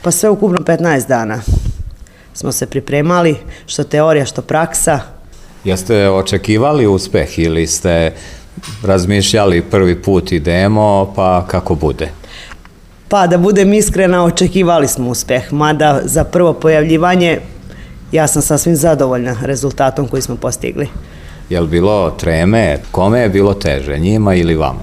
Pa sve ukupno 15 dana smo se pripremali, što teorija, što praksa. Jeste očekivali uspeh ili ste razmišljali prvi put idemo pa kako bude? Pa da budem iskrena, očekivali smo uspeh, mada za prvo pojavljivanje ja sam sasvim zadovoljna rezultatom koji smo postigli. Je li bilo treme? Kome je bilo teže, njima ili vama?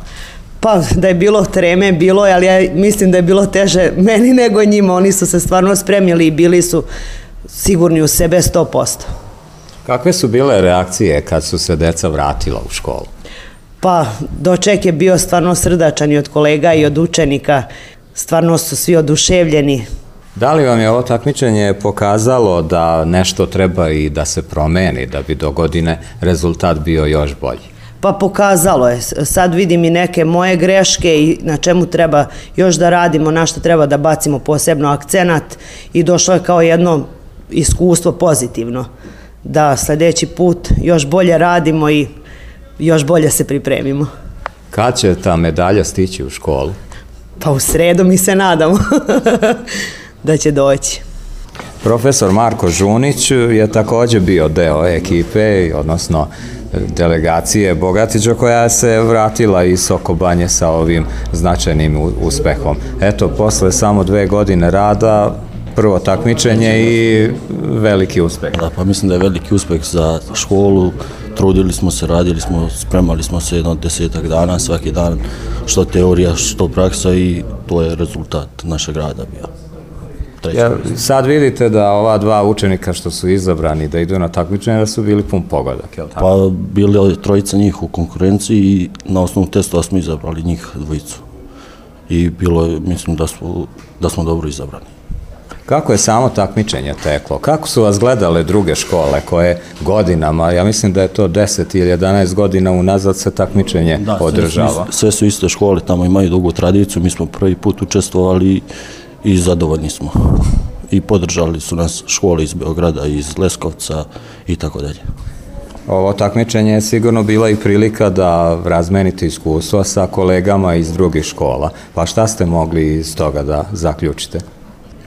Pa da je bilo treme, bilo je, ali ja mislim da je bilo teže meni nego njima. Oni su se stvarno spremili i bili su sigurni u sebe 100%. Kakve su bile reakcije kad su se deca vratila u školu? Pa doček je bio stvarno srdačan i od kolega i od učenika. Stvarno su svi oduševljeni. Da li vam je ovo takmičenje pokazalo da nešto treba i da se promeni, da bi do godine rezultat bio još bolji? Pa pokazalo je. Sad vidim i neke moje greške i na čemu treba još da radimo, na što treba da bacimo posebno akcenat i došlo je kao jedno iskustvo pozitivno. Da sljedeći put još bolje radimo i još bolje se pripremimo. Kad će ta medalja stići u školu? Pa u sredu mi se nadamo da će doći. Profesor Marko Žunić je također bio deo ekipe, odnosno delegacije Bogatića koja se vratila iz Sokobanje sa ovim značajnim uspehom. Eto, posle samo 2 godine rada, prvo takmičenje i veliki uspeh. Da, pa mislim da je veliki uspeh za školu. Trudili smo se, radili smo, spremali smo se jedno 10 dana, svaki dan, što teorija, što praksa i to je rezultat našeg rada bio. Sad vidite da ova 2 učenika što su izabrani da idu na takmičenje da su bili pun pogodak, je li tako? Pa bili 3 njih u konkurenciji i na osnovu testova smo izabrali njih 2. I bilo je, mislim da smo dobro izabrani. Kako je samo takmičenje teklo? Kako su vas gledale druge škole koje godinama, ja mislim da je to 10 ili 11 godina unazad se takmičenje održava? Sve su iste škole, tamo imaju dugu tradiciju, mi smo prvi put učestvovali i zadovoljni smo. I podržali su nas škole iz Beograda, iz Leskovca i tako dalje. Ovo takmičenje je sigurno bila i prilika da razmenite iskustva sa kolegama iz drugih škola. Pa šta ste mogli iz toga da zaključite?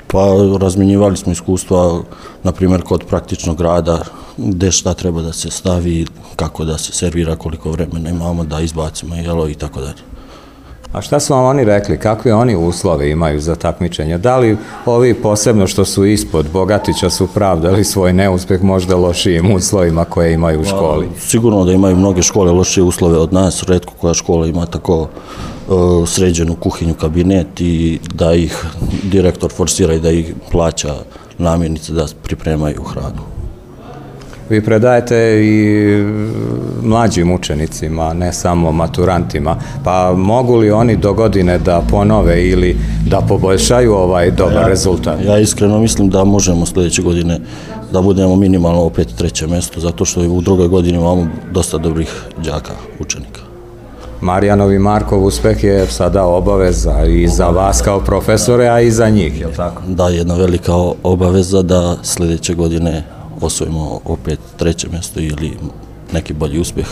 Pa razmenjivali smo iskustva, na primjer kod praktičnog rada, gde šta treba da se stavi, kako da se servira, koliko vremena imamo da izbacimo jelo i tako dalje. A šta su vam oni rekli? Kakve oni uslove imaju za takmičenje? Da li ovi posebno što su ispod Bogatića su pravdali svoj neuspeh možda lošijim uslovima koje imaju u školi? Sigurno da imaju mnoge škole lošije uslove od nas, retko koja škola ima tako sređenu kuhinju, kabinet i da ih direktor forsira i da ih plaća namirnice da pripremaju hranu. Vi predajete i mlađim učenicima, ne samo maturantima, pa mogu li oni do godine da ponove ili da poboljšaju ovaj dobar rezultat? Ja iskreno mislim da možemo sljedeće godine da budemo minimalno opet 3. mjesto, zato što u drugoj godini imamo dosta dobrih đaka, učenika. Marijanov i Markov uspeh je sada obaveza i za vas kao profesore, a i za njih, je li tako? Da, jedna velika obaveza da sljedeće godine osvojimo opet 3. mjesto ili neki bolji uspjeh.